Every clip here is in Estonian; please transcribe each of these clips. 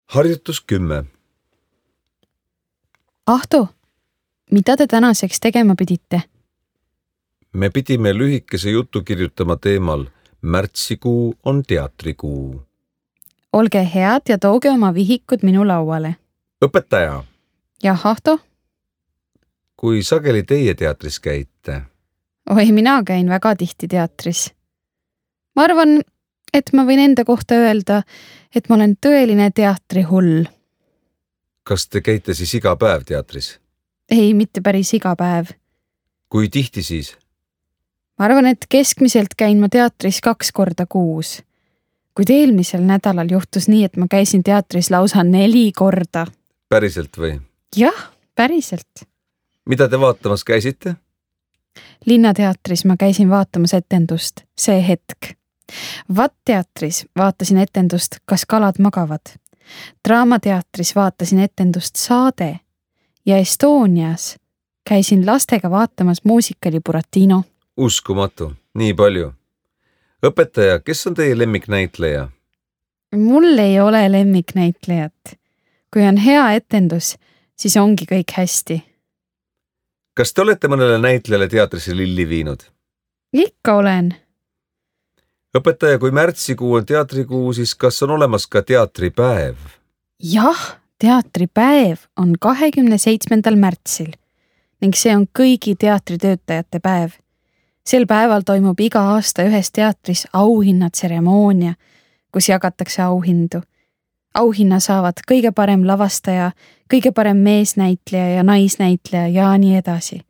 Harjutus 10. Ahto, mida te tänaseks tegema pidite? Me pidime lühikese jutu kirjutama teemal Märtsikuu on teatrikuu. Olge head ja tooge oma vihikud minu lauale. Õpetaja, Jah, Ahto? kui sageli teie teatris käite? Oi, mina käin väga tihti teatris. Ma arvan, et ma võin enda kohta öelda, et ma olen tõeline teatrihull. Kas te käite siis iga päev teatris? Ei, mitte päris iga päev. Kui tihti siis? Ma arvan, et keskmiselt käin ma teatris 2 korda kuus. Kuid eelmisel nädalal juhtus nii, et ma käisin teatris lausa 4 korda. Päriselt või? Jah, päriselt. Mida te vaatamas käisite? Linnateatris ma käisin vaatamas etendust See hetk. VAT-teatris vaatasin etendust Kas kalad magavad. Draamateatris vaatasin etendust Saade ja Estonias käisin lastega vaatamas muusikali Buratino. Uskumatu, nii palju. Õpetaja, kes on teie lemmiknäitleja? Mul ei ole lemmiknäitlejat. Kui on hea etendus, siis ongi kõik hästi. Kas te olete mõnele näitlejale teatrisse lilli viinud? Ikka olen. Õpetaja, kui märtsikuu on teatrikuu, siis kas on olemas ka teatripäev? Jah, teatripäev on 27. märtsil ning see on kõigi teatritöötajate päev. Sel päeval toimub iga aasta ühes teatris auhinnatseremoonia, kus jagatakse auhindu. Auhinna saavad kõige parem lavastaja, kõige parem meesnäitleja ja naisnäitleja ja nii edasi.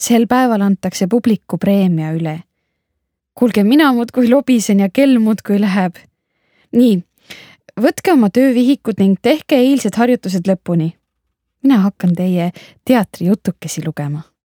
Sel päeval antakse publiku preemia üle. Kuulge, mina muudkui lobisen ja kell muudkui läheb. Nii, võtke oma töövihikud ning tehke eilsed harjutused lõpuni. Mina hakkan teie teatrijutukesi lugema.